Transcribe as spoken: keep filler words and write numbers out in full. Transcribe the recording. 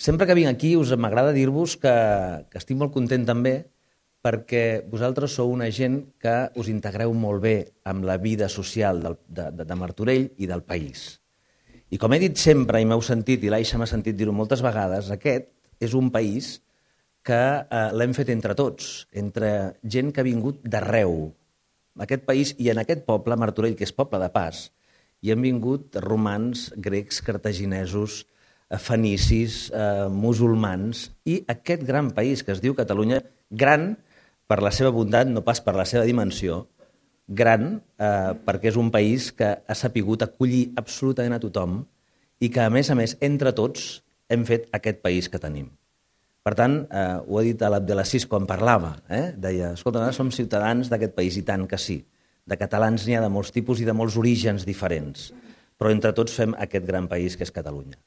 Sempre que vinc aquí us m'agrada dir-vos que, que estic molt content també perquè vosaltres sou una gent que us integreu molt bé amb la vida social del, de, de, de Martorell i del país. I com he dit sempre, i m'heu sentit, i l'Aixa m'ha sentit dir-ho moltes vegades, aquest és un país que eh, l'hem fet entre tots, entre gent que ha vingut d'arreu. Aquest país i en aquest poble, Martorell, que és poble de pas, hi han vingut romans, grecs, cartaginesos, fenicis, eh, musulmans, i aquest gran país que es diu Catalunya, gran per la seva bondat, no pas per la seva dimensió, gran eh, perquè és un país que ha sapigut acollir absolutament a tothom i que, a més a més, entre tots hem fet aquest país que tenim. Per tant, eh, ho ha dit l'Abdelaziz quan parlava, eh? Deia, escolta, nosaltres som ciutadans d'aquest país, i tant que sí. De catalans n'hi ha de molts tipus i de molts orígens diferents, però entre tots fem aquest gran país que és Catalunya.